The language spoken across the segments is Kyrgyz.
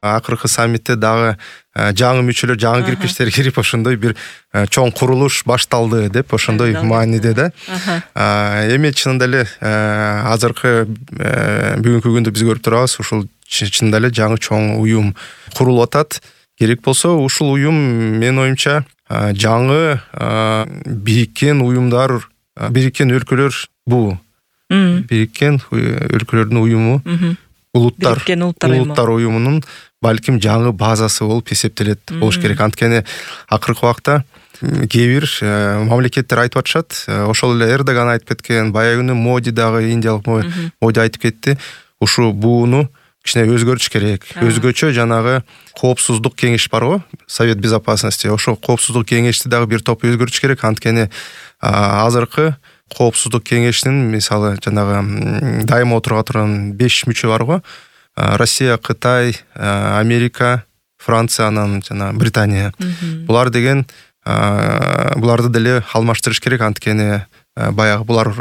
акыркы саммитте дагы жаңы мүчөлөр, жаңы кирпичтер кирип ошондой бир чоң курулуш башталды деп ошондой мааниде да. Эми чынында эле азыркы бүгүнкү күндө биз көрүп турабыз, ушул чынында эле жаңы чоң уюм курулуп атат. Керек болсо ушул уюм менин оюмча жаңы бириккен уюмдар, бириккен өлкөлөр бул. Бириккен өлкөлөрдүн уюму, улуттар уюмунун балким жаңы базасы болуп эсептелет болуш керек. Анткени акыркы убакта кээ бир мамлекеттер айтып атышат, ошол эле Эрдоган айтып кеткен, баягы күнү Моди дагы, индиялык Моди айтып кетти. Ушу бууну кичине өзгөртүш керек. Өзгөчө жанагы коопсуздук кеңеш бар го, Совет Безопасности. Ошо коопсуздук кеңешти дагы бир топ өзгөртүш керек. Анткени азыркы коопсуздук кеңешинин мисалы жанагы дайыма отурга турган 5 мүчө бар го. Россия, Кытай, Америка, Франция, анан жана Британия. Булар деген буларды деле алмаштырыш керек. Анткени баягы булар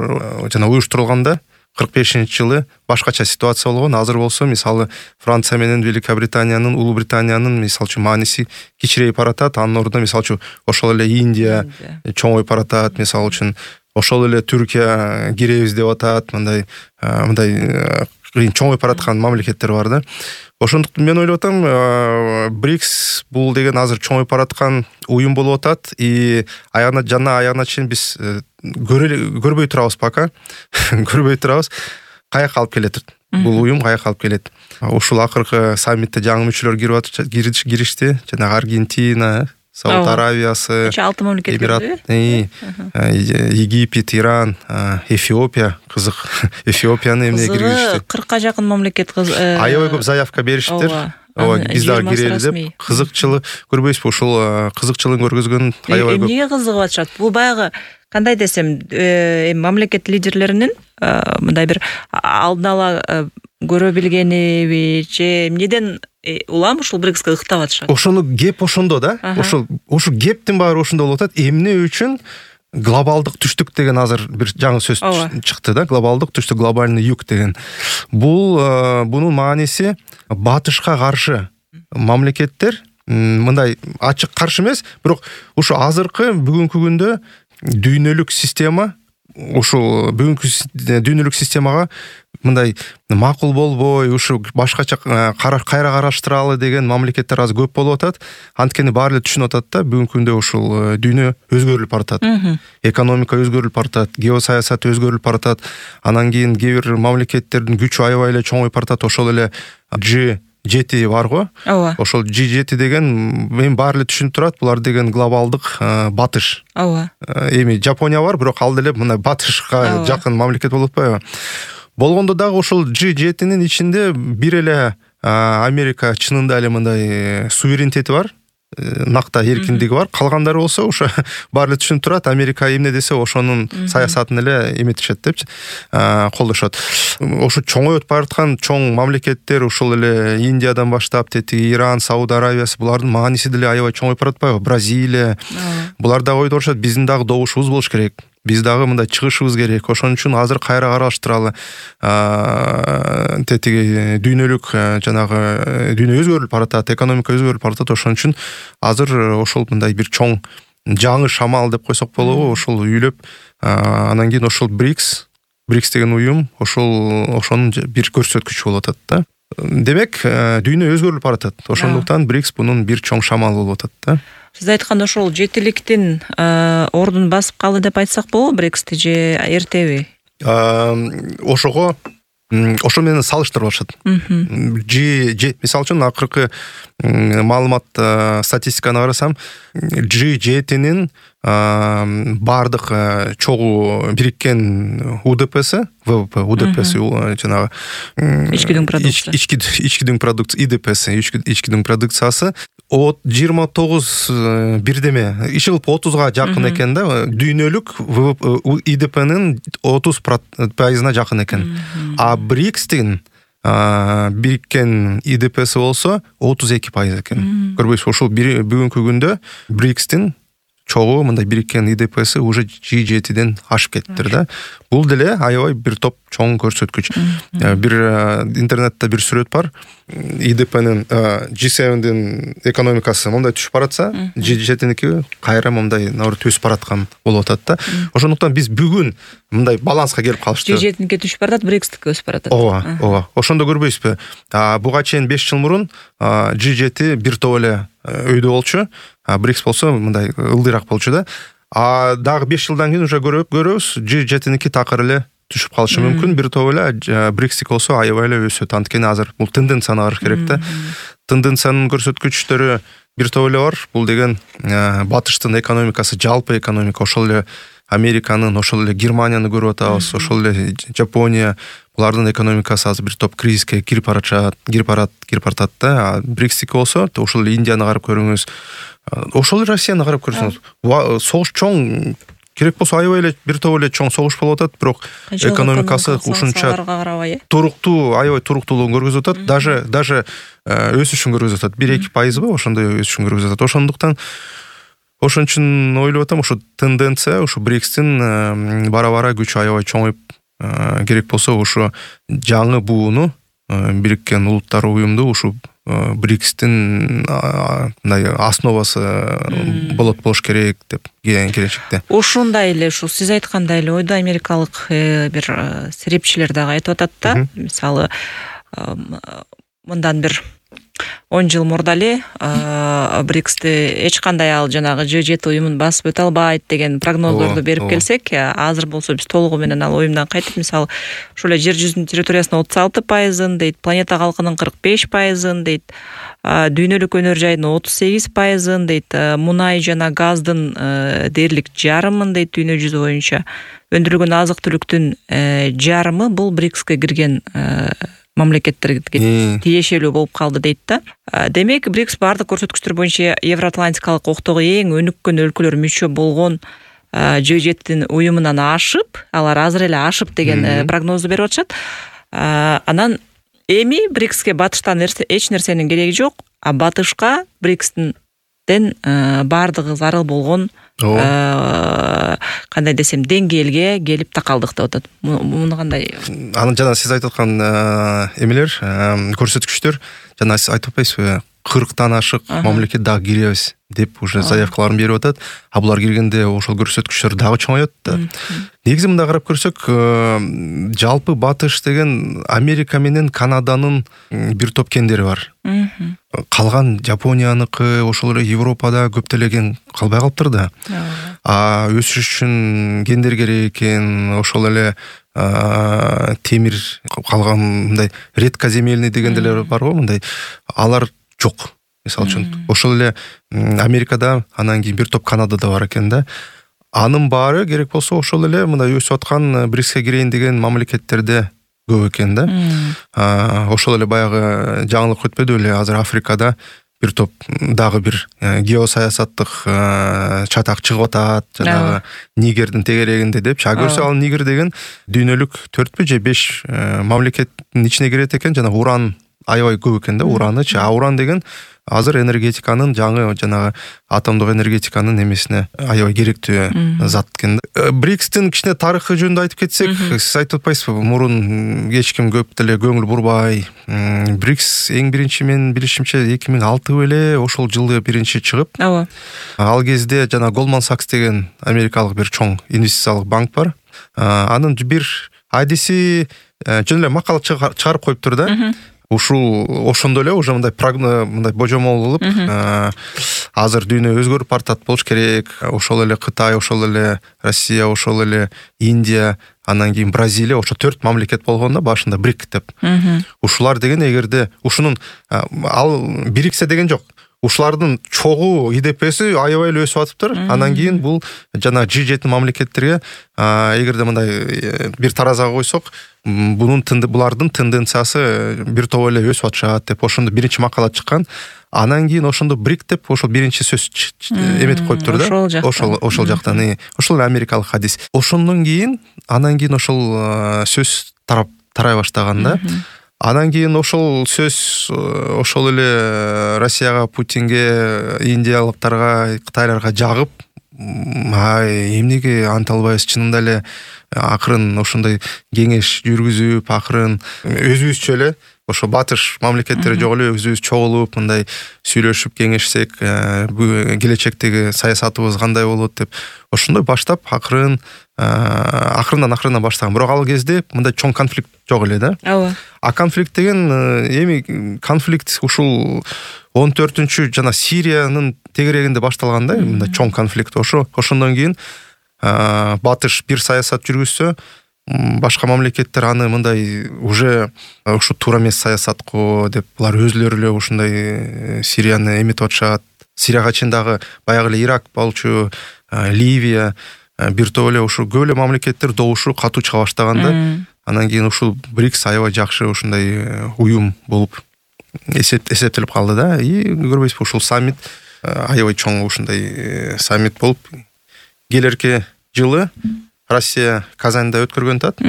жана уюштурулганда 45-жылы башкача ситуация болгон. Азыр болсо мисалы Франция менен Великобританиянын, Улуу Британиянын мисалы үчүн мааниси кичирейип баратат. Анын ордуна мисалы үчүн ошол эле Индия чоңоюп баратат. Мисалы үчүн ошол эле Түркия киребиз деп атат. Мындай чоңоюп бараткан мамлекеттер бар да. Ошондуктан мен ойлоп атам, БРИКС бул деген азыр чоңоюп бараткан уюм болуп атат. И аягына чейин биз көрбөй турабыз пока. Көрбөй турабыз. Каяка алып келет бул уюм, каяка алып келет. Ушул акыркы саммитте жаңы мүчөлөр киришти. Жанагы Аргентина, Сауд Аравиясы, 6 мамлекет, Египет, Иран, Эфиопия, кызык. Эфиопияны эмне киргизишти? 40-ка жакын мамлекет аябай көп заявка бериштиптер. Биз дагы кирели деп. Кызыкчылык көрбөйсүзбү? Ушул кызыкчылыгын көргөзгөн аябай көп. Эмнеге кызыгып атышат? Бул баягы кандай десем, мамлекет лидерлеринин мындай бир алдын ала көрө билгениби же эмнеден улам ушул БРИКСке ыктап атышат? Ошону кеп ошондо да. Ошол кептин баары ошондо болуп атат. Эмне үчүн глобалдык түштүк деген азыр бир жаңы сөз чыкты да. Глобалдык түштүк, глобальный юг деген. Бунун мааниси батышка каршы мамлекеттер мындай ачык каршы эмес, бирок ушу азыркы бүгүнкү күндө дүйнөлүк система, ушул бүгүнкү дүйнөлүк системага мындай макул болбой, ушу башкача кайра караштыралы деген мамлекеттер азыр көп болуп атат. Анткени баары эле түшүнүп атат да, бүгүнкү күндө ушул дүйнө өзгөрүлүп баратат. Экономика өзгөрүлүп баратат, геосаясат өзгөрүлүп баратат. Анан кийин кээ бир мамлекеттердин күчү аябай эле чоңоюп баратат. Ошол эле G7 бар го. Ошол G7 деген мен баары эле түшүнүп турат, булар деген глобалдык батыш. Эми Жапония бар, бирок ал деле мындай батышка жакын мамлекет болуп атпайбы? Болгондо дагы ошол G7-нин ичинде бир эле Америка чынында эле мындай суверенитети бар, накта эркиндиги бар. Калгандары болсо ошо баары эле түшүнүп турат, Америка эмне десе ошонун саясатын эле эметишет деп колдошот. Ошо чоңоюп бараткан чоң мамлекеттер, ушул эле Индиядан баштап тетиги Иран, Сауд Аравиясы, булардын мааниси деле аябай чоңоюп баратпайбы? Бразилия. Булар дагы ойдорушат, биздин дагы добушубуз болуш керек. Биз дагы мындай чыгышыбыз керек. Ошон үчүн азыр кайра караштыралы. Тетиги дүйнөлүк жанагы дүйнө өзгөрүлүп баратат, экономика өзгөрүлүп баратат. Ошон үчүн азыр ошол мындай бир чоң жаңы шамал деп койсок болобу, ошол үйлөп, анан кийин ошол БРИКС деген уюм ошонун бир көрсөткүчү болуп атат да. Демек, дүйнө өзгөрүлүп баратат. Ошондуктан БРИКС бунун бир чоң шамалы болуп атат да. Сиз айткан ошол жетиликтин ордун басып калды деп айтсак болобу БРИКСти же эртеби? Ошо менен салыштырып атышат. Мисалы үчүн акыркы маалымат статистиканы карасам, G7-нин бардык чогуу бириккен УДПСи, ВВП, УДПСи жанагы ички дүң продукция, ИДПСи, ички дүң продукциясы 29 бирдеме, иши кылып 30га жакын экен да. Дүйнөлүк ИДПнин 30%-на жакын экен. А БРИКСтин бириккен ИДПСи болсо 32% экен. Көрбөйсүзбү? Ошол бүгүнкү күндө БРИКСтин чогуу мындай бириккен ИДПси уже G7ден ашып кеттир да. Бул деле аябай бир топ чоң көрсөткүч. Бир интернетте бир сүрөт бар. ИДПнин G7дин экономикасы мындай түшүп баратса, G7ники кайра мындай төсүп бараткан болуп атат да. Ошондуктан биз бүгүн мындай баланска келип калышты. G7ники түшүп баратат, BRICSтики өсүп баратат. Ооба. Ошондо көрбөйсүзбү? Буга чейин 5 жыл мурун G7 бир топ эле өйдө болчу. BRICS болсо мындай ылдыйраак болчу да. Дагы 5 жылдан кийин уже көрөбүз, G7ники такыр эле түшүп калышы мүмкүн. Бир топ эле BRICS болсо аябай эле өсөт. Анткени азыр бул тенденцияны караш керек да. Тенденциянын көрсөткүчтөрү бир топ эле бар. Бул деген батыштын экономикасы, жалпы экономика, ошол эле Американын, ошол эле Германияны көрүп атабыз, ошол эле Жапония, булардын экономикасы азыр бир топ кризиске кирип баратат да. BRICS болсо, ошол эле Индияны карап көрүңүз, ошол эле Россияны карап көрсөңүз, согуш чоң керек болсо аябай эле бир топ эле чоң согуш болуп атат, бирок экономикасы ушунча туруктуу, аябай туруктуулугун көргөзүп атат, даже өсүшүн көргөзүп атат. 1-2% ошондой өсүшүн көргөзүп атат. Ошондуктан ошон үчүн ойлоп атам, ошо тенденция, ошо BRICSтин бара-бара күчү аябай чоңоюп, керек болсо ошо жаңы бууну, Бириккен Улуттар уюмду ушу BRICSтин мындай основасы болуш керек деп келечекте. Ушундай эле ушу сиз айткандай эле ойдо америкалык бир серепчилер дагы айтып атат да. Мисалы, мындан бир 10 жыл мурда эле BRICSти эч кандай ал жанагы G7 уюмун басып өтө албайт деген прогноздорду берип келсек, азыр болсо биз толугу менен ал уюмдан кайтып, мисалы, ушул эле жер жүзүнүн территориясынын 36% дейт, планета калкынын 45% дейт, дүйнөлүк өнөр жайдын 38% дейт, мунай жана газдын дээрлик жарымын дейт дүйнө жүзү боюнча. Өндүрүлгөн азык түлүктүн жарымы бул BRICSке кирген мамлекеттерге тиешелүү болуп калды дейт да. Демек, BRICS бардык көрсөткүчтөр боюнча Евроатлантикалык октогу эң өнүккөн өлкөлөр мүчө болгон G7 уюмунан ашып, алар азыр эле ашып деген прогнозду берип атышат. Анан эми BRICSке батыштан эч нерсенин кереги жок, а батышка BRICSтен бардыгы зарыл болгон кандай десем деңгээлге келип такалдык деп атат. Муну кандай? Анын жана сиз айтып аткан эмелер, көрсөткүчтөр, жана сиз айтып атпайсызбы, 40тан ашык мамлекет дагы киребиз деп уже заявкаларын берип атат. А булар киргенде ошол көрсөткүчтөр дагы чоңоет да. Негизи мындай карап көрсөк, жалпы батыш деген Америка менен Канаданын бир топ кендери бар. Калган Жапонияныкы, ошол эле Европада көптөлеген калбай калыптыр да. Өсүш үчүн кендер керек экен, ошол эле темир калган мындай редкоземельный дегенделер бар го, мындай алар жок. Мисалы үчүн, ошол эле Америкада, анан кийин бир топ Канадада бар экен да. Анын баары керек болсо ошол эле мындай өсүп аткан BRICSке кирейин деген мамлекеттерде көп экен да. Ошол эле баягы жаңылык өтпөдү эле, азыр Африкада бир топ дагы бир геосаясаттык чатак чыгып атат, жанагы Нигердин тегерегинде депчи. Көрсө ал Нигер деген дүйнөлүк 4 же 5 мамлекеттин ичине кирет экен, жана уран аябай көп экен да, уранычы. Уран деген азыр энергетиканын жанагы атомдук энергетиканын эмесине аябай керектүү зат экен. BRICSтин кичине тарыхы жөнүндө айтып кетсек, сиз айтып атпайсызбы, мурун эч ким көп деле көңүл бурбай. BRICS эң биринчи мен билишимче 2006 эле ошол жылы биринчи чыгып. Ал кезде жана Goldman Sachs деген америкалык бир чоң инвестициялык банк бар. Анын бир адиси жөн эле макала чыгарып коюптур да. Ошондо эле уже мындай божомол кылып, азыр дүйнө өзгөрүп бартат болуш керек. Ошол эле Кытай, ошол эле Россия, ошол эле Индия, анан кийин Бразилия, ошо 4 мамлекет болгон да башында BRIC деп. Ушулар деген эгерде ушунун ал BRICS деген жок. Ушулардын чогуу ИДПси аябай эле өсүп атыптыр. Анан кийин бул жана G7 мамлекеттерге эгерде мындай бир таразага койсок, булардын тенденциясы бир топ эле өсүп атышат деп ошондо биринчи макала чыккан. Анан кийин ошондо BRIC деп ошол биринчи сөз эметип коюптур да. Ошол жактан, ошол эле америкалык хадис. Ошондон кийин анан кийин ошол сөз тарай баштаган да. Анан кийин ошол сөз ошол эле Россияга, Путинге, индиялыктарга, кытайларга жагып, эмнеге анта албайбыз, чынында эле акырын ошондой кеңеш жүргүзүп, акырын өзүбүзчө эле ошо батыш мамлекеттери жок эле өзүбүз чогулуп мындай сүйлөшүп кеңешсек, келечектеги саясатыбыз кандай болот деп ошондой баштап акырындан баштаган. Бирок ал кезде мындай чоң конфликт жок эле да. Ооба. А конфликт деген эми конфликт ушул 14-чү жана Сириянын тегерегинде башталган да, мындай чоң конфликт. Ошондон кийин батыш бир саясат жүргүзсө, башка мамлекеттер аны мындай уже ушу туура эмес саясат го деп булар өзүлөрү эле ушундай Сирияны эметип атышат. Сирияга чейин дагы баягы эле Ирак болчу, Ливия, бир топ эле ушу көп эле мамлекеттер добушу катуу чыга баштаган да. Анан кийин ушул БРИКС аябай жакшы ушундай уюм болуп эсептелип калды да. И көрбөйсүзбү, ушул саммит аябай чоң ушундай саммит болуп келерки жылы Россия Казанда өткөргөн атат.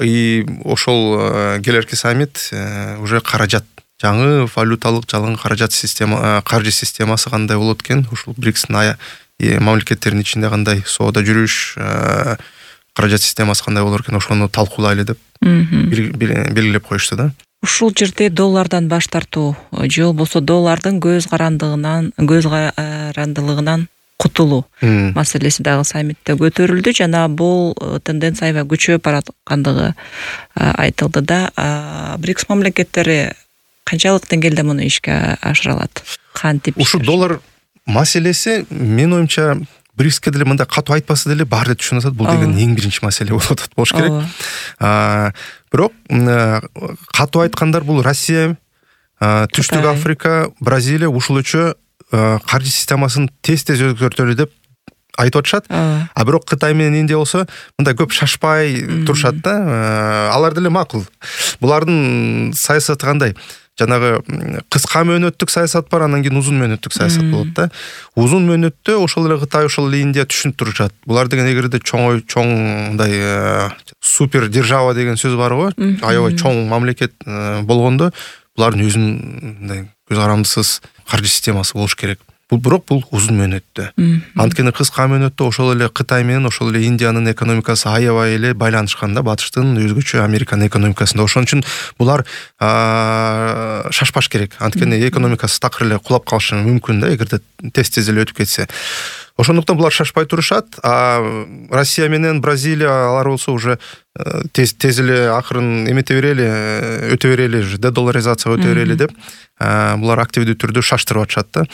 И ошол келерки саммит уже каражат, жаңы валюталык жалган каражат система, каржы системасы кандай болот экен, ушул БРИКСтин мамлекеттеринин ичинде кандай соода жүрүш, каражат системасы кандай болор экен, ошону талкуулайлы деп белгилеп коюшту да. Ушул жерде доллардан баш тартуу же болбосо доллардын көз карандылыгынан кутулуу маселеси дагы саммитте көтөрүлдү жана бул тенденция аябай күчөп бараткандыгы айтылды да. БРИКС мамлекеттери канчалык деңгээлде муну ишке ашыра алат? Кантип? Ушу доллар маселеси менин оюмча БРИКСке деле мындай катуу айтпаса деле баары эле түшүнүп атат, бул деген эң биринчи маселе болуп атат болуш керек. Бирок катуу айткандар бул Россия, Түштүк Африка, Бразилия ушулучу каржы системасын тез өзгөртөлү деп айтып атышат. А бирок Кытай менен Индия болсо мындай көп шашпай турушат да. Алар деле макул. Булардын саясаты кандай? Жанагы кыска мөөнөттүк саясат бар, анан кийин узун мөөнөттүк саясат болот да. Узун мөөнөттө ошол эле Кытай, ошол эле Индия түшүнүп турушат. Булар деген эгерде чоң мындай супер держава деген сөз бар го, аябай чоң мамлекет болгондо булардын өзүнүн мындай көз карандысыз каржы системасы болуш керек. Бирок бул узун мөөнөттө. Анткени кыска мөөнөттө ошол эле Кытай менен ошол эле Индиянын экономикасы аябай эле байланышкан да, батыштын өзгөчө Американын экономикасында. Ошон үчүн булар шашпаш керек. Анткени экономикасы такыр эле кулап калышы мүмкүн да, эгерде тез эле өтүп кетсе. Ошондуктан булар шашпай турушат. А Россия менен Бразилия алар болсо уже тез эле акырын эмете берели, өтө берели, дедоларизация өтө берели деп булар активдүү түрдө шаштырып атышат да.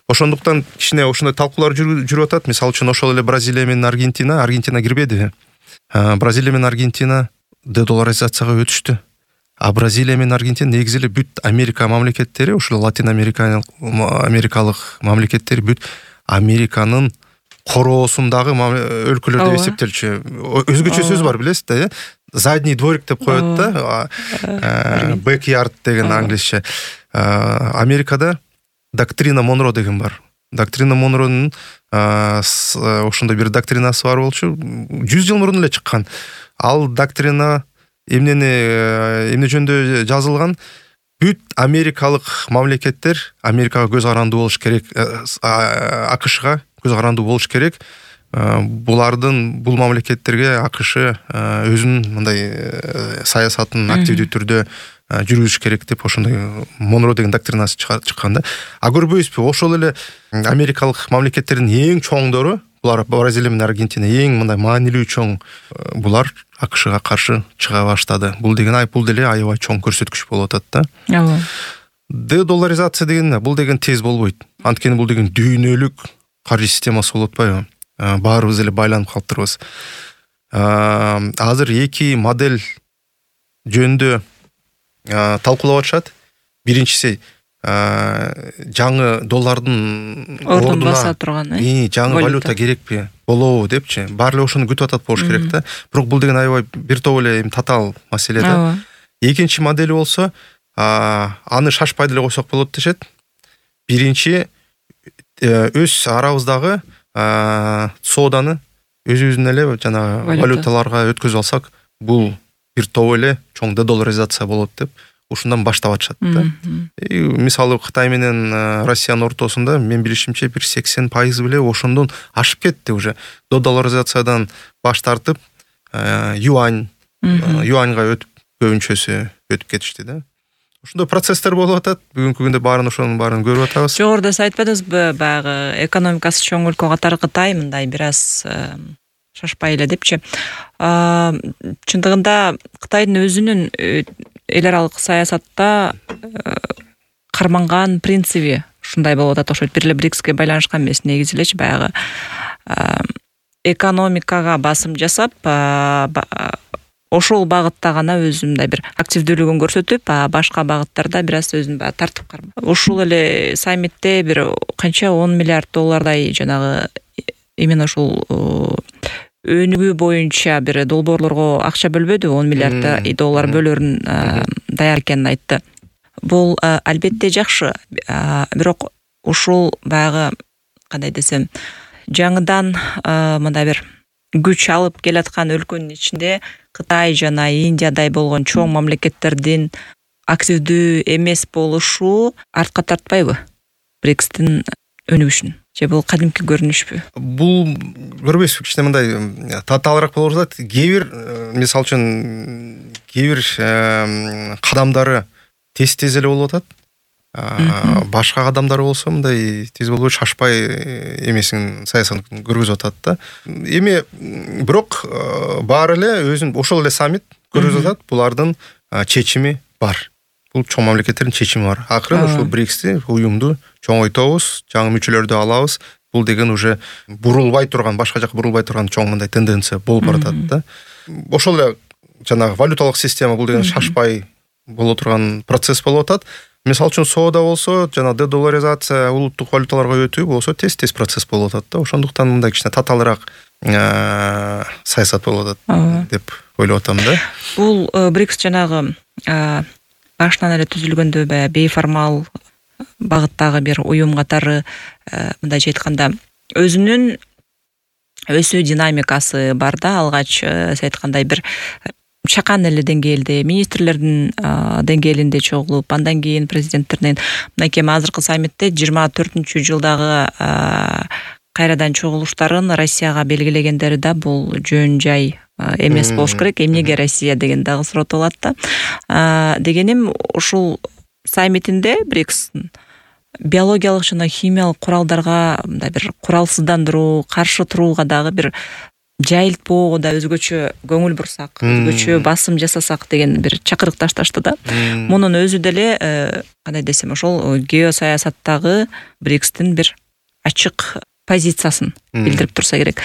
Ошондуктан кичине ошондой талкуулар жүрүп атат. Мисалы үчүн ошол эле Бразилия менен Аргентина кирбеди. Бразилия менен Аргентина дедоларизацияга өтүштү. А Бразилия менен Аргентина негизи эле бүт Америка мамлекеттери, ошол Латин Америкалык мамлекеттери бүт Американын короосундагы өлкөлөр деп эсептелчү. Өзгөчө сөз бар, билесиз да, задний дворик деп коет да, backyard деген англисче. Америкада доктрина Монро деген бар. Доктрина Монронун ошондой бир доктринасы бар болчу. 100 жыл мурун эле чыккан. Ал доктрина эмне жөнүндө жазылган? Бүт америкалык мамлекеттер Америкага көз карандуу болуш керек, АКШга көз карандуу болуш керек. Бул мамлекеттерге АКШ өзүнүн мындай саясатын активдүү түрдө жүргүзүш керек деп ошондой Монро деген доктринасы чыккан да. А көрбөйсүзбү, ошол эле америкалык мамлекеттердин эң чоңдору, булар Бразилия менен Аргентина эң мындай маанилүү чоң, булар АКШга каршы чыга баштады. Бул деле аябай чоң көрсөткүч болуп атат да. Дедоларизация деген бул деген тез болбойт. Анткени бул деген дүйнөлүк каржы системасы болуп атпайбы? Баарыбыз эле байланып калыптырбыз. Азыр эки модель жөнүндө талкуулап атышат. Биринчиси жаңы доллардын ордун баса турган, жаңы валюта керекпи, болобу депчи. Баары эле ошону күтүп атат болуш керек да. Бирок бул деген аябай бир топ эле татаал маселе да. Экинчи модели болсо, аны шашпай деле койсок болот дешет. Биринчи өз арабыздагы сооданы өзүбүздүн эле жана валюталарга өткөзүп алсак, бул бир топ эле чоң дедоларизация болот деп ушундан баштап атышат да. Мисалы Кытай менен Россиянын ортосунда мен билишимче бир 80% беле ошондон ашып кетти уже. Долларизациядан баш тартып юаньга өтүп көбүнчөсү өтүп кетишти да. Ошондой процесстер болуп атат. Бүгүнкү күндө ошонун баарын көрүп атабыз. Жогоруда сиз айтпадыңызбы, баягы экономикасы чоң өлкө катары Кытай мындай бир аз шашпай эле депчи. Чындыгында Кытайдын өзүнүн эл аралык саясатта карманган принциби ушундай болуп атат окшойт. Бир эле БРИКСке байланышкан эмес, негизи элечи баягы экономикага басым жасап, ошол багытта гана өзү мындай бир активдүүлүгүн көрсөтүп, башка багыттарда бир аз өзүн тартып кармак. Ушул эле саммитте бир канча 10 миллиард доллардай жанагы именно ушул өнүгүү боюнча бир долбоорлорго акча бөлбөдү, 10 миллиард доллар бөлөрүн даяр экенин айтты. Бул албетте жакшы, бирок ушул баягы кандай десем, жаңыдан мындай бир күч алып келаткан өлкөнүн ичинде Кытай жана Индиядай болгон чоң мамлекеттердин активдүү эмес болушу артка тартпайбы БРИКСтин өнүгүшүн? Же бул кадимки көрүнүшпү? Бул көрбөйсүзбү, кичине мындай татаалыраак болуп атат. Кээ бир мисалы үчүн кээ бир кадамдары тез эле болуп атат. Башка кадамдар болсо мындай тез болбой шашпай эмесин саясатын көргөзүп атат да. Эми бирок баары эле өзүн ошол эле саммит көргөзүп атат. Булардын чечими бар. Бул чоң мамлекеттердин чечими бар. Акырын ушул БРИКСти, уюмду чоңойтобуз, жаңы мүчөлөрдү алабыз. Бул деген уже бурулбай турган, башка жака бурулбай турган чоң мындай тенденция болуп баратат да. Ошол эле жанагы валюталык система бул деген шашпай боло турган процесс болуп атат. Мисалы үчүн соода болсо, жана дедоларизация, улуттук валюталарга өтүү болсо тез процесс болуп атат да. Ошондуктан мындай кичине татаалыраак саясат болуп атат деп ойлоп атам да. Бул БРИКС жанагы башынан эле түзүлгөндө бейформал багыттагы бир уюм катары мындайча айтканда өзүнүн өсүү динамикасы бар да. Алгач сиз айткандай бир чакан эле деңгээлде, министрлердин деңгээлинде чогулуп, андан кийин президенттердин мынакей азыркы саммитте 24-жылдагы кайрадан чогулуштарын Россияга белгилегендери да бул жөн жай эмес болуш керек. Эмнеге Россия деген дагы суротулат да. Дегеним ушул саммитинде БРИКСтин биологиялык жана химиялык куралдарга мындай бир куралсыздандыруу, каршы турууга дагы бир жайылтпоого да өзгөчө көңүл бурсак, өзгөчө басым жасасак деген бир чакырык ташташты да. Мунун өзү деле кандай десем, ошол геосаясаттагы БРИКСтин бир ачык позициясын билдирип турса керек.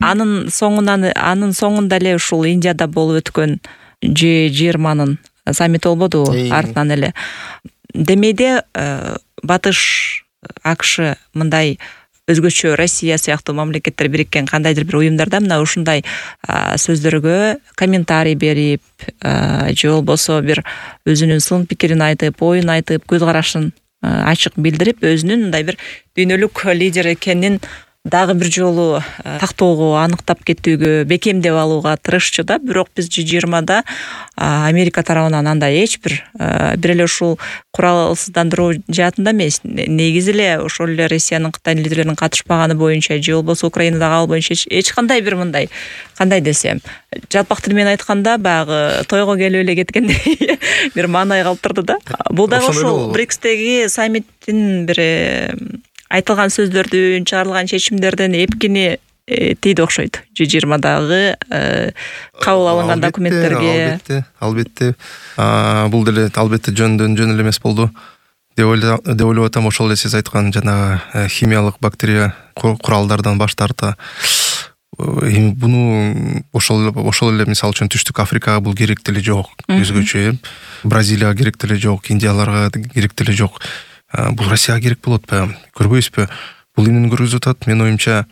Анын соңунда эле ушул Индияда болуп өткөн G20-нын саммити болбоду артынан эле. Демейде Батыш, АКШ мындай өзгөчө Россия сыяктуу мамлекеттер бириккен кандайдыр бир уюмдарда мына ушундай сөздөргө комментарий берип, же болбосо бир өзүнүн сын пикирин айтып, оюн айтып, көз карашын ачык билдирип, өзүнүн мындай бир дүйнөлүк лидер экенин дагы бир жолу тактоого, аныктап кетүүгө, бекемдеп алууга тырышчу да. Бирок биз G20-да Америка тарабынан андай эч бир эле ушул куралсыздандыруу жаатында эмес, негизи эле ошол эле Россиянын, Кытайдын лидерлеринин катышпаганы боюнча же болбосо Украинадагы ал боюнча эч кандай бир мындай, кандай десем, жалпак тил менен айтканда баягы тойго келип эле кеткендей бир маанай калтырды да. Бул дагы ошол БРИКСтеги саммиттин бир айтылган сөздөрдүн, чыгарылган чечимдерден эпкини тийди окшойт. G20-дагы кабыл алынган документтерге. Албетте. Бул деле албетте жөн эле эмес болду деп ойлоп атам. Ошол эле сиз айткан жанагы химиялык бактерия куралдардан баш тарта. Буну ошол эле мисалы үчүн Түштүк Африкага бул керек деле жок. Өзгөчө Бразилияга керек деле жок, Индияларга керек деле жок. Бул Россияга керек болот атпайбы? Көрбөйсүзбү? Бул эмнени көргөзүп атат? Мен оюмча,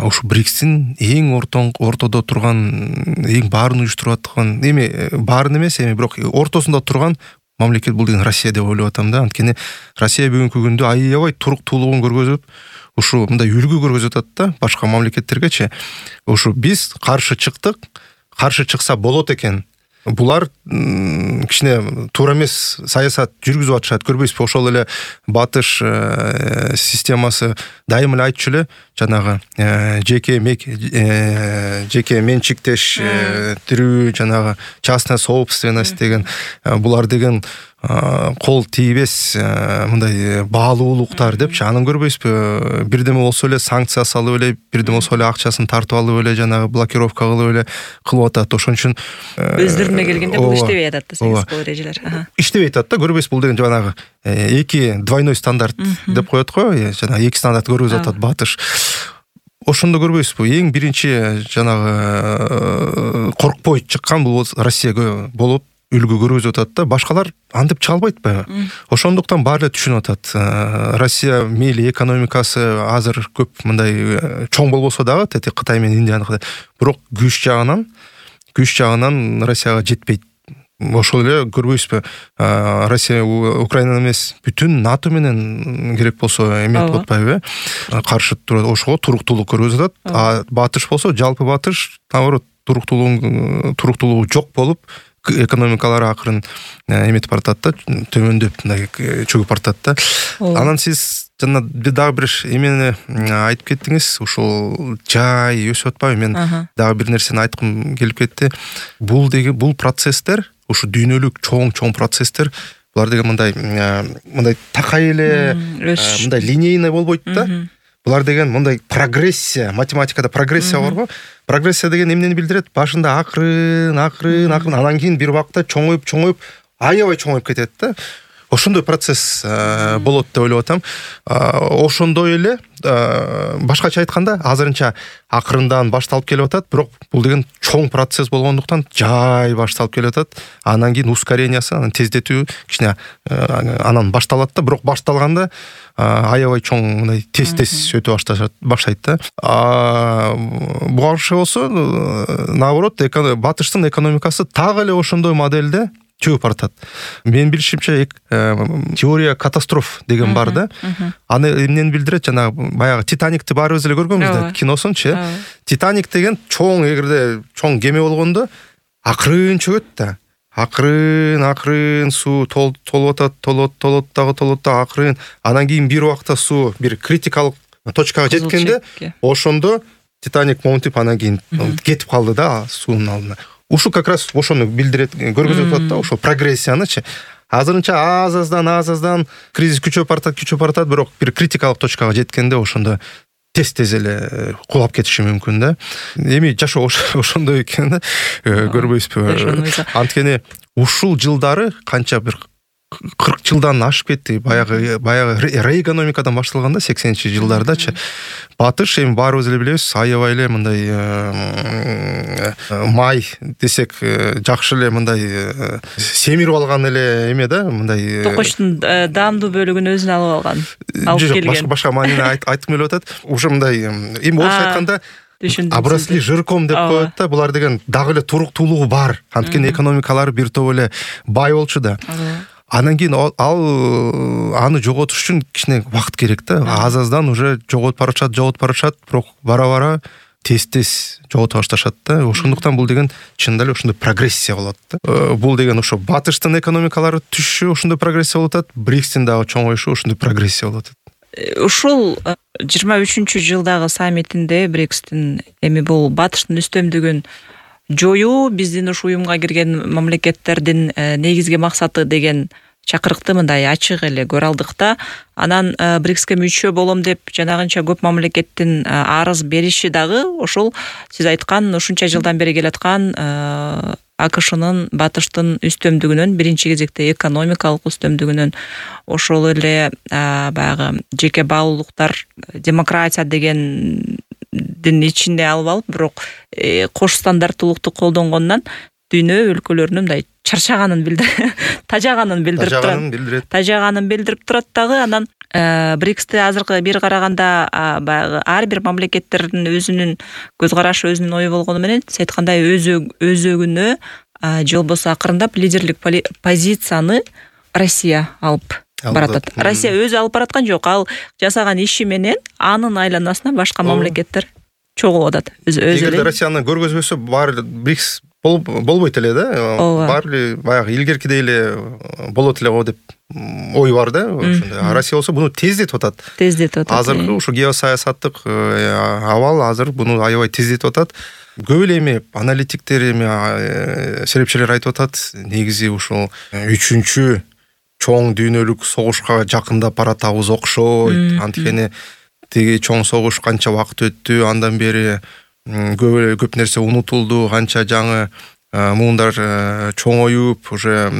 ушу БРИКСтин эң ортодо турган, эң баарын уюштуруп аткан, эми баарын эмес, эми бирок ортосунда турган мамлекет бул деген Россия деп ойлоп атам да. Анткени Россия бүгүнкү күндө аябай туруктуулугун көргөзүп, ушу мындай үлгү көргөзүп атат да башка мамлекеттергечи. Ушу биз каршы чыктык, каршы чыкса болот экен булар кичине туура эмес саясат жүргүзүп атышат, көрбөйсүзбү? Ошол эле батыш системасы дайыма эле айтчу эле, жанагы жеке менчиктештирүү, жанагы частная собственность деген, булар деген кол тийбес мындай баалуулуктар депчи. Анын көрбөйсүзбү? Бирдеме болсо эле санкция салып эле, бирдеме болсо эле акчасын тартып алып эле, жанагы блокировка кылып эле кылып атат. Ошон үчүн өздөрүнө келгенде бул иштебей атат да, саясий эрежелер. Иштебей атат да, көрбөйсүз? Бул деген жанагы эки двойной стандарт деп коет го, жанагы эки стандарт көргөзүп атат батыш. Ошондо көрбөйсүзбү? Эң биринчи жанагы коркпой чыккан бул Россия болуп үлгү көргөзүп атат да. Башкалар антип чыга албайт баягы. Ошондуктан баары эле түшүнүп атат. Россия мейли экономикасы азыр көп мындай чоң болбосо дагы, тети Кытай менен Индияныкыдай, бирок күч жагынан Россияга жетпейт. Ошол эле көрбөйсүзбү? Россия Украина эмес, бүтүн НАТО менен керек болсо эметип атпайбы? Каршы турат, ошого туруктуулук көргөзүп атат. А батыш болсо, жалпы батыш наоборот туруктуулугу жок болуп, экономикалары акырын эметип баратат да, төмөндөп мындай чөгүп баратат да. Анан сиз жана дагы бир эмени айтып кеттиңиз, ушул жай өсүп атпайбы? Мен дагы бир нерсени айткым келип кетти. Бул процесстер, ушу дүйнөлүк чоң процесстер, булар деген мындай такай эле, мындай линейный болбойт да. Булар деген мындай прогрессия, математикада прогрессия барбы? Прогрессия деген эмнени билдирет? Башында акырын, анан кийин бир убакта чоңоюп, аябай чоңоюп кетет да. Ошондой процесс болот деп ойлоп атам. Ошондой эле, башкача айтканда, азырынча акырындан башталып келип атат, бирок бул деген чоң процесс болгондуктан жай башталып келип атат. Анан кийин ускорениясы, анан тездетүү кичине анан башталат да, бирок башталганда аябай чоң мындай тез өтө баштайт да. Буга каршы болсо, наоборот, батыштын экономикасы так эле ошондой модельде чөгүп баратат. Менин билишимче теория катастроф деген бар да. Аны эмнени билдирет? Жанагы баягы Титаникти баарыбыз эле көргөнбүз да, киносунчу. Титаник деген эгерде чоң кеме болгондо акырын чөгөт да. Акырын суу толуп атат, акырын. Анан кийин бир убакта суу бир критикалык точкага жеткенде, ошондо Титаник монтип, анан кийин кетип калды да суунун алдына. Ушу как раз ошону билдирет, көргөзүп атат да, ошо прогрессиянычы. Азырынча аз-аздан кризис күчөп баратат, бирок бир критикалык точкага жеткенде ошондо тез эле кулап кетиши мүмкүн да. Эми жашоо ошондой экен да, көрбөйсүзбү? Анткени ушул жылдары канча бир 40 жылдан ашып кетти. Баягы реэкономикадан башталганда 80-жылдардачы. Батыш эми баарыбыз эле билебиз, аябай эле мындай май десек жакшы эле мындай семирип алган эле эме да, мындай токочтун даамдуу бөлүгүн өзүнө алып келген. Башка маанини айткым келип атат. Уже мындай эми орусча айтканда обросли жирком деп коет да. Булар деген дагы эле туруктуулугу бар. Анткени экономикалары бир топ эле бай болчу да. Анан кийин аны жоготуш үчүн кичине убакыт керек да. Аз-аздан уже жоготуп барышат, бирок бара тез жогото башташат да. Ошондуктан бул деген чындап эле ошондой прогрессия болот да. Бул деген ошо батыштын экономикалары түшүшү ошондой прогрессия болуп атат, БРИКСтин дагы чоңоюшу ошондой прогрессия болуп атат. Ушул 23-жылдагы саммитинде БРИКСтин эми бул батыштын үстөмдүгүн жоюу биздин ушу уюмга кирген мамлекеттердин негизги максаты деген чакырыкты мындай ачык эле көрө алдык да. Анан БРИКСке мүчө болом деп жанагынча көп мамлекеттин арыз бериши дагы ошол сиз айткан ушунча жылдан бери келаткан АКШнын батыштын үстөмдүгүнөн, биринчи кезекте экономикалык үстөмдүгүнөн, ошол эле баягы жеке баалуулуктар, демократия дегендин ичинде алып алып, бирок кош стандарттуулукту колдонгондон дүйнө өлкөлөрүнүн мындай чарчаганын билдирип турат дагы. Анан БРИКСти азыркы бир караганда баягы ар бир мамлекеттердин өзүнүн көз карашы, өзүнүн ою болгону менен сиз айткандай өзөгүнө же болбосо акырындап лидерлик позицияны Россия алып баратат. Россия өзү алып бараткан жок, ал жасаган иши менен анын айланасына башка мамлекеттер чогулуп атат. Эгерде Россияны көргөзбөсө, баары БРИКС болбойт эле да, баары эле баягы илгеркидей эле болот эле го деп ой бар да. Ошондой. Россия болсо буну тездетип атат. Азыркы ушу геосаясаттык абал азыр буну аябай тездетип атат. Көп эле эми аналитиктер, эми серепчилер айтып атат, негизи ушул 3-чү чоң дүйнөлүк согушка жакындап баратабыз окшойт. Анткени тиги чоң согуш канча убакыт өттү, андан бери көп нерсе унутулду, канча жаңы муундар чоңоюп, уже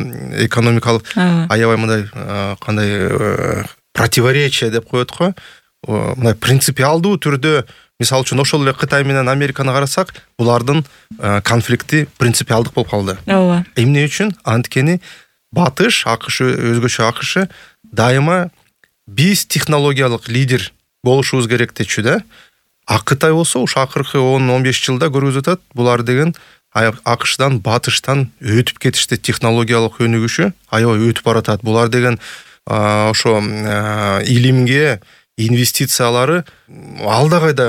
экономикалык аябай мындай кандай противоречие деп коет го. Мындай принципиалдуу түрдө, мисалы үчүн ошол эле Кытай менен Американы карасак, булардын конфликти принципиалдык болуп калды. Эмне үчүн? Анткени Батыш, АКШ, өзгөчө АКШ дайыма биз технологиялык лидер болушубуз керек дечү да. А Кытай болсо ушу акыркы 10-15 жылда көрүзүп атат, булар деген АКШдан, Батыштан өтүп кетишти, технологиялык өнүгүшү аябай өтүп баратат. Булар деген ошо илимге инвестициялары алда кайда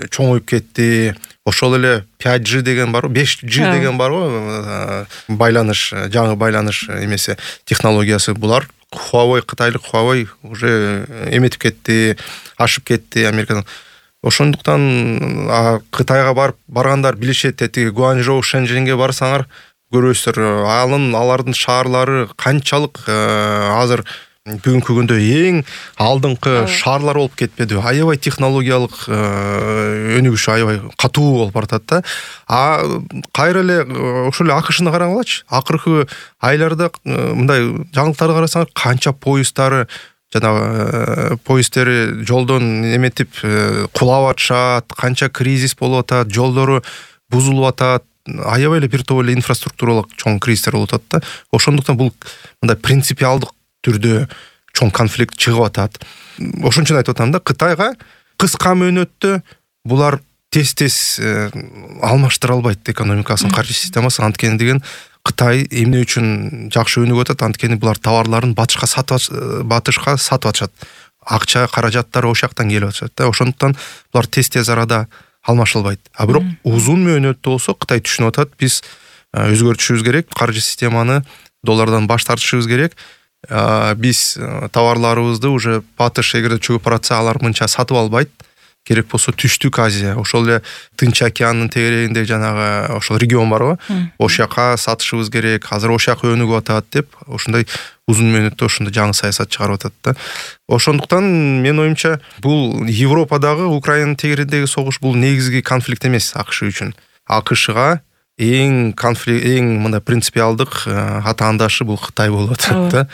чоңоюп кетти. Ошол эле 5G деген бар, 5G деген бар го, байланыш, жаңы байланыш эмеси технологиясы. Булар Huawei, кытайлык Huawei уже эметип кетти, ашып кетти Америкадан. Ошондуктан Кытайга баргандар билишет, тиги Гуанчжоу, Шэньчжэньге барсаңар көрөсүздөр, алардын шаарлары канчалык азыр бүгүнкү күндө эң алдыңкы шаарлар болуп кетпеди. Аябай технологиялык өнүгүш аябай катуу болуп баратат да. Кайра эле ошол эле АКШны карагылачы. Акыркы айларда мындай жаңылыктарды карасаңар, канча поезддары, жанагы поезддери жолдон эметип кулап атышат, канча кризис болуп атат, жолдору бузулуп атат. Аябай эле бир топ эле инфраструктуралык чоң кризистер болуп атат да. Ошондуктан бул мындай принципиалдык түрдө чоң конфликт чыгып атат. Ошон үчүн айтып атам да, Кытайга кыска мөөнөттө булар тез алмаштыра албайт экономикасын, каржы системасын. Анткени деген Кытай эмне үчүн жакшы өнүгүп атат? Анткени булар товарларын Батышка сатып атышат. Акча, каражаттары ошол жактан келип атышат да. Ошондуктан булар тез арада алмашылбайт. А бирок узун мөөнөттө болсо Кытай түшүнүп атат, биз өзгөртүшүбүз керек, каржы системаны доллардан баш тартышыбыз керек. Биз товарларыбызды уже Батыш эгерде чөгүп баратса, алар мынча сатып албайт. Керек болсо Түштүк Азия, ошол эле Тынч океандын тегерегинде жанагы ошол регион барбы? Ошол жака сатышыбыз керек. Азыр ошол жака өнүгүп атат деп, ошондой узун мөөнөттө ошондой жаңы саясат чыгарып атат да. Ошондуктан менин оюмча, бул Европадагы Украинанын тегерегиндеги согуш бул негизги конфликт эмес АКШ үчүн. АКШга эң мындай принципиалдык атаандашы бул Кытай болуп атат да.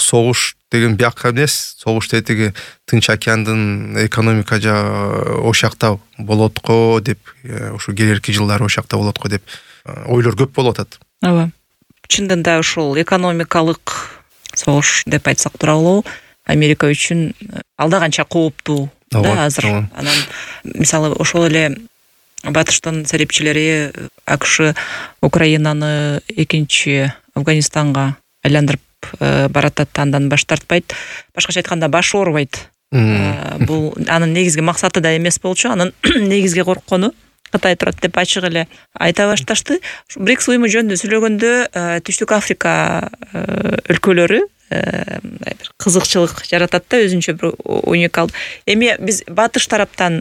Согуш деген бияка эмес, согуш тетиги Тынч океандын экономика ошол жакта болот го деп, ушу келерки жылдары ошол жакта болот го деп ойлор көп болуп атат. Ооба. Чындын да ушул экономикалык согуш деп айтсак туура болобу? Америка үчүн алда канча кооптуу да азыр. Анан мисалы ошол эле Батыштын серепчилери АКШ Украинаны экинчи Афганистанга айландырып баратат, андан баш тартпайт. Башкача айтканда баш оорубайт. Бул анын негизги максаты да эмес болчу, анын негизги корккону Кытай турат деп ачык эле айта башташты. БРИКС уюму жөнүндө сүйлөгөндө Түштүк Африка өлкөлөрү бир кызыкчылык жаратат да, өзүнчө бир уникал. Эми биз Батыш тараптан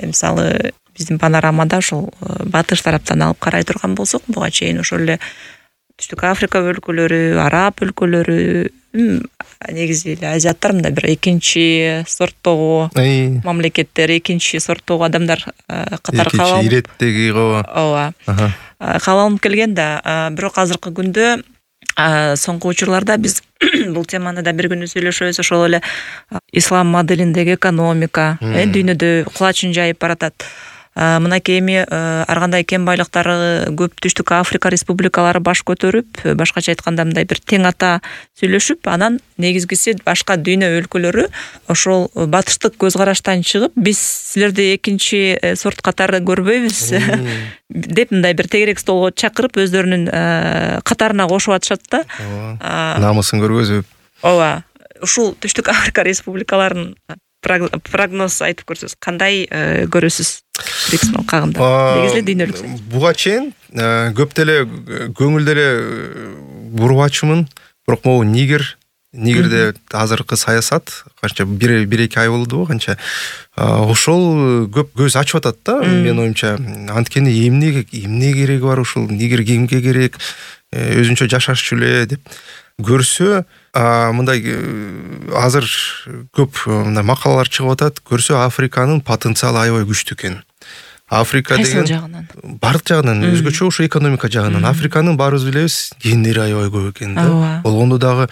мисалы биздин панорамада ошол Батыш тараптан алып карай турган болсок, буга чейин ошол эле Түштүк Африка өлкөлөрү, араб өлкөлөрү, негизи эле азиаттар мындай бир экинчи сорттогу мамлекеттер, экинчи сорттогу адамдар катары калып, экинчи иреттеги го. Ооба. Калалынып келген да, бирок азыркы күндө соңку учурларда биз бул теманы да бир күнү сүйлөшөбүз. Ошол эле ислам моделиндеги экономика дүйнөдө кулачын жайып баратат. Мынакей эми ар кандай кен байлыктары көп Түштүк Африка республикалары баш көтөрүп, башкача айтканда мындай бир тең ата сүйлөшүп, анан негизгиси башка дүйнө өлкөлөрү ошол батыштык көз караштан чыгып, биз силерди экинчи сорт катары көрбөйбүз деп мындай бир тегерек столго чакырып, өздөрүнүн катарына кошуп атышат да. Намысын көргөзүп. Ооба. Ушул Түштүк Африка республикаларын прогноз айтып көрсөз кандай көрөсүз БРИКС алкагында негизи дүйнөлүк буга чейин көп деле көңүл деле бурбачумун, бирок могу Нигерде азыркы саясат канча 1-2 ай болду, канча ошол көп көз ачып атат да, менин оюмча. Анткени эмне кереги бар ушул Нигер, кимге керек, өзүнчө жашашчу эле деп көрсө, мындай азыр көп мындай макалалар чыгып атат, көрсө Африканын потенциалы аябай күчтүү экен. Африка деген бардык жагынан өзгөчө ошо экономика жагынан Африканын баарыбыз билебиз гендери аябай көп экен да. Болгондо дагы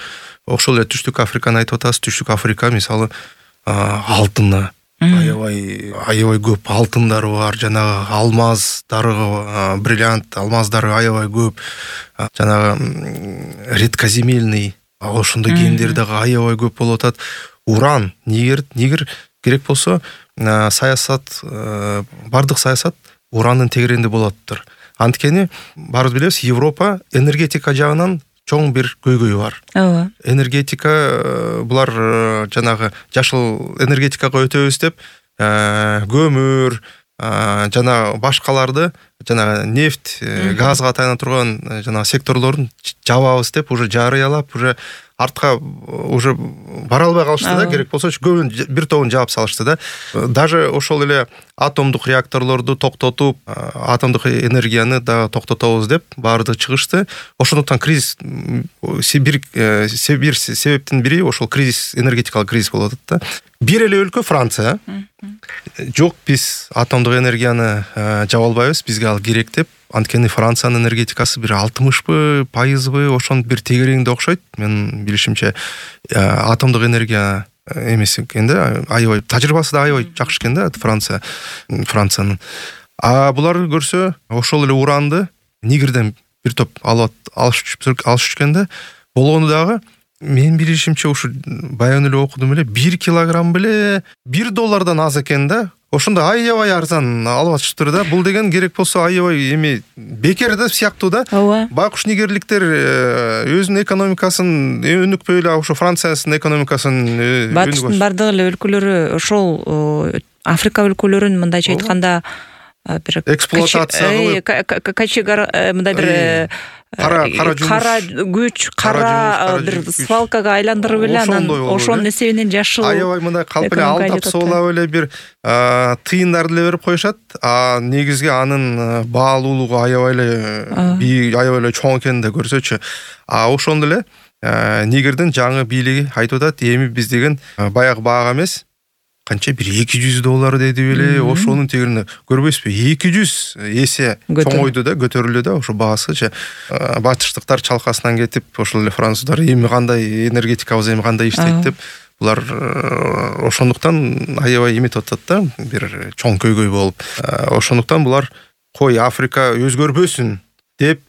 ошол эле Түштүк Африканы айтып атасыз. Түштүк Африка мисалы алтына аябай көп алтындары бар, жанагы алмаздары, бриллиант алмаздары аябай көп, жанагы редкоземельный ошондой гендер дагы аябай көп болуп атат. Уран, Нигер керек болсо саясат, бардык саясат урандын тегерегинде болоттур. Анткени баарыбыз билебиз, Европа энергетика жагынан чоң бир көйгөйү бар. Энергетика булар жанагы жашыл энергетикага өтөбүз деп көмүр жана башкаларды, жана нефть, газга таяна турган жана секторлорун жабабыз деп уже жарыялап, уже артка уже бара албай калышты да, керек болсо көбүн бир тобун жаап салышты да. Даже ошол эле атомдук реакторлорду токтотуп, атомдук энергияны да токтотобуз деп баардыгы чыгышты. Ошондуктан кризис, бир себептин бири ошол кризис, энергетикалык кризис болуп атат да. Бир эле өлкө Франция жок, биз атомдук энергияны жаба албайбыз, бизге ал керек деп. Анткени Франциянын энергетикасы бир 60% ошонун бир тегерегинде окшойт. Мен билишимче атомдук энергия эмес экен да, аябай тажрыйбасы да аябай жакшы экен да Франциянын. Буларды көрсө, ошол эле уранды Нигерден бир топ алышып экен да. Болгону дагы мен билишимче ушу баягы эле окудум эле, 1 килограмм беле $1 аз экен да. Ошондо аябай арзан алып атышыптыр да. Бул деген керек болсо аябай эми бекер да сыяктуу да. Байкуш нигерликтер өзүнүн экономикасын өнүкпөй эле ошо Франциянын экономикасын батыштын бардык эле өлкөлөрү ошол Африка өлкөлөрүн мындайча айтканда бир эксплуатация кылып, качегар мындай бир кара күч, кара бир свалкага айландырып эле анан ошонун эсебинен жашыл аябай мындай калп эле алдап соолап эле бир тыйындарды эле берип коюшат. Негизги анын баалуулугу аябай эле аябай эле чоң экенин да көрсөчү. Ошондо эле Нигердин жаңы бийлиги айтып атат, эми биз деген баягы баага эмес, канча бир $200 деди беле, ошонун тегерине көрбөйсүзбү, 200 эсе чоңойду да, көтөрүлдү да ошо баасы. Батыштыктар чалкасынан кетип, ошол эле француздар эми кандай энергетикабыз эми кандай иштейт деп, булар ошондуктан аябай эметип атат да, бир чоң көйгөй болуп. Ошондуктан булар кой Африка өзгөрбөсүн деп,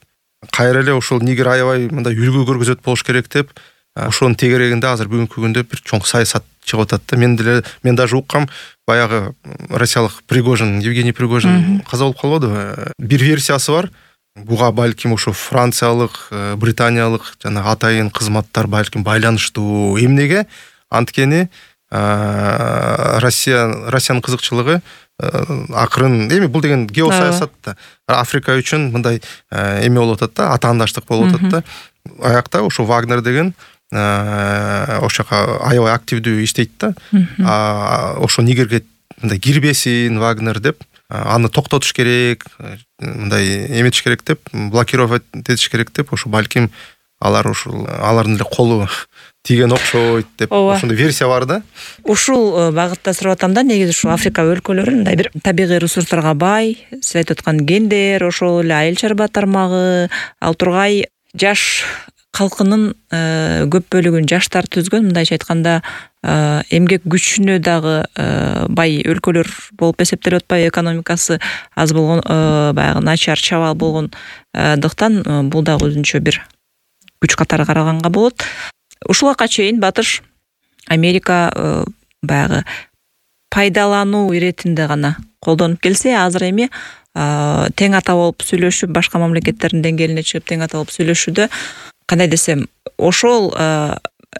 кайра эле ошол Нигер аябай мындай үлгү көргөзөт болуш керек деп, ошонун тегерегинде азыр бүгүнкү күндө бир чоң саясат чыгып атат да. Мен даже уккам, баягы россиялык Евгений Пригожин каза болуп калбадыбы? Бир версиясы бар. Буга балким ошо франциялык, британиялык жана атайын кызматтар балким байланыштуу. Эмнеге? Анткени Россиянын кызыкчылыгы акырын, эми бул деген геосаясат да. Африка үчүн мындай эме болуп атат да, атаандаштык болуп атат да. Аякта ошо Вагнер деген ошока аябай активдүү иштейт да. Ошо Нигерге мындай кирбесин Вагнер деп, аны токтотуш керек, мындай эметиш керек деп, блокировать этиш керек деп, ошо балким алардын эле колу тиген окшойт деп, ошондой версия бар да. Ушул багытта сурап атам да, негизи ушу Африка өлкөлөрү мындай бир табигый ресурстарга бай, сиз айтып аткан гендер, ошол эле айыл чарба тармагы, ал тургай жаш калкынын көп бөлүгүн жаштар түзгөн, мындайча айтканда эмгек күчүнө дагы бай өлкөлөр болуп эсептелип атпайбы, экономикасы аз болгон, баягы начар чабал болгондуктан бул дагы өзүнчө бир күч катары караганга болот. Ушулга чейин батыш Америка баягы пайдалануу иретинде гана колдонуп келсе, азыр эми тең ата болуп сүйлөшүп, башка мамлекеттердин деңгээлине чыгып тең ата болуп сүйлөшүүдө, кандай десем, ошол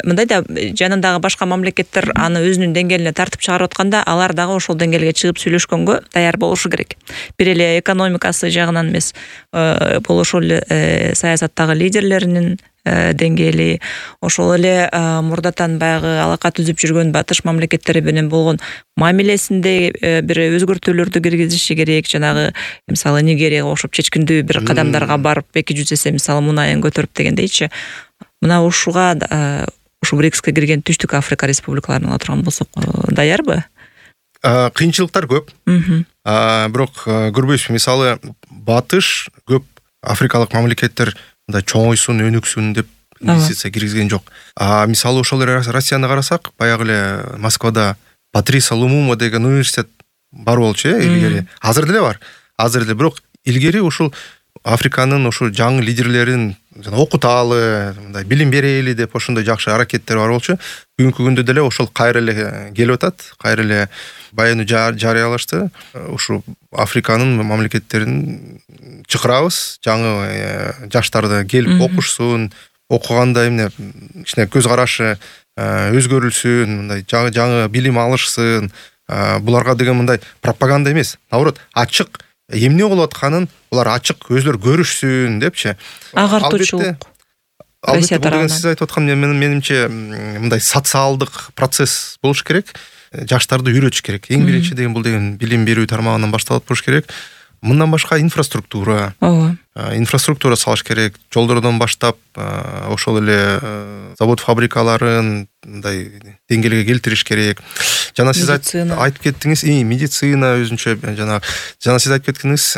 мындай да жанындагы башка мамлекеттер аны өзүнүн деңгээлине тартып чыгарып атканда алар дагы ошол деңгээлге чыгып сүйлөшкөнгө даяр болушу керек. Бир эле экономикасы жагынан эмес, ошол эле саясаттагы лидерлеринин деңгээли, ошол эле мурдатан баягы алака түзүп жүргөн батыш мамлекеттери менен болгон мамилесинде бир өзгөртүүлөрдү киргизиши керек. Жанагы мисалы Нигерияга окшоп чечкиндүү бир кадамдарга барып 200 эсе мисалы мунайын көтөрүп дегендейчи. Мына ушуга ушу БРИКСке кирген Түштүк Африка республикаларын ала турган болсок даярбы? Кыйынчылыктар көп. Бирок көрбөйсүзбү, мисалы батыш көп африкалык мамлекеттер мындай чоңойсун, өнүксүн деп инвестиция киргизген жок. Мисалы ошол Россияны карасак, баягы эле Москвада Патриса Лумума деген университет бар болчу илгери. Азыр деле бар. Азыр деле, бирок илгери ушул Африканын ошо жаңы лидерлерин окуталы, мындай билим берели деп ошондой жакшы аракеттер бар болчу. Бүгүнкү күндө деле ошол кайра эле келип атат, кайра эле баянды жарыялашты. Ушу Африканын мамлекеттерин чакырабыз, жаңы жаштарды келип окушсун, окуганда эмне кичине көз карашы өзгөрүлсүн, мындай жаңы билим алышсын. Буларга деген мындай пропаганда эмес, наоборот, ачык эмне болуп атканын булар ачык өзлөр көрүшсүн депчи. Агартуучулук. Албетте бул деген сиз айтып аткан менимче мындай социалдык процесс болуш керек. Жаштарды үйрөтүш керек. Эң биринчи деген бул деген билим берүү тармагынан башталат болуш керек. Мындан башка инфраструктура. Инфраструктура салыш керек. Жолдордон баштап ошол эле завод фабрикаларын мындай деңгээлге келтириш керек. Жана сиз айтып кеттиңиз, медицина өзүнчө жана сиз айтып кеттиңиз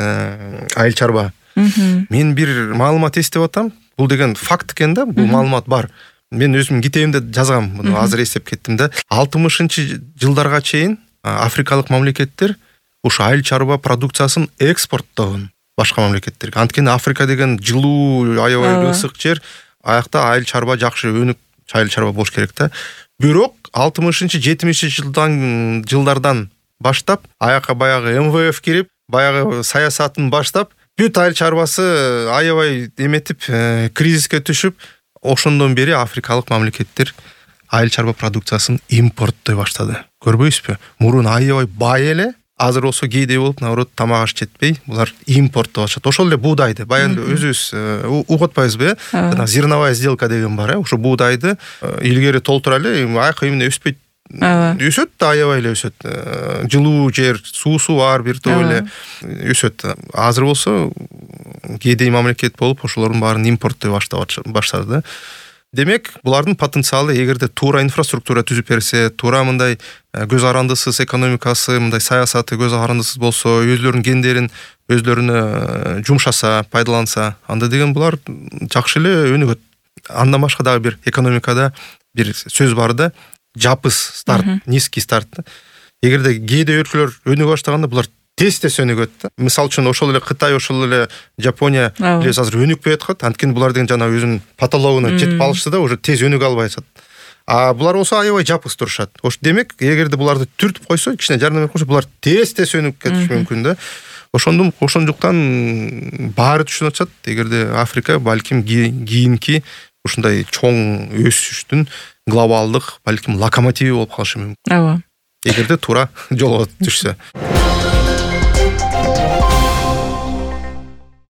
айыл чарба. Мен бир маалымат эстеп атам. Бул деген факт экен да, бул маалымат бар. Мен өзүм китебимде жазгам, муну азыр эстеп кеттим да. 60-жылдарга чейин африкалык мамлекеттер ушу айыл чарба продукциясын экспорттогон башка мамлекеттерге. Анткени Африка деген жылуу, аябай ысык жер, аякта айыл чарба жакшы өнүк айыл чарба болуш керек да. Бирок 60-70 жылдардан баштап аяка баягы МВФ кирип, баягы саясатын баштап, бүт айыл чарбасы аябай эметип, кризиске түшүп, ошондон бери африкалык мамлекеттер айыл чарба продукциясын импорттой баштады. Көрбөйсүзбү? Мурун аябай бай эле, азыр болсо кээде болуп, наоборот, тамак аш жетпей, булар импорттоп атышат. Ошол эле буудайды, баянды өзүбүз угуп атпайбызбы? Жана зерновая сделка деген бар, ошо буудайды илгери толтура эле, аяка эмне өспөйт. Өсөт да, аябай эле өсөт. Жылуу жер, суусу бар, бир топ эле өсөт. Азыр болсо кээде мамлекет болуп, ошолордун баарын импорттой баштады да. Демек, булардын потенциалы эгерде туура инфраструктура түзүп берсе, туура мындай көз карандысыз экономикасы, мындай саясаты көз карандысыз болсо, өзлөрүнүн гендерин өзлөрүнө жумшаса, пайдаланса, анда деген булар жакшы эле өнүгөт. Андан башка дагы бир экономикада бир сөз бар да, жапыс старт, низкий старт. Эгерде кээде өлкөлөр өнүгө баштаганда булар тез өнүгөт да. Мисалы үчүн ошол эле Кытай, ошол эле Жапония билебиз азыр өнүкпөй аткат. Анткени булар деген жана өзүнүн потологуна жетип алышты да, уже тез өнүгө албай атат. Булар болсо аябай жапыс турушат. Демек, эгерде буларды түртүп койсо, кичине жардам берип койсо, булар тез өнүгүп кетиши мүмкүн да. Ошондуктан баары түшүнүп атышат. Эгерде Африка балким кийинки ушундай чоң өсүштүн глобалдык балким локомотиви болуп калышы мүмкүн. Эгерде туура жолго түшсө.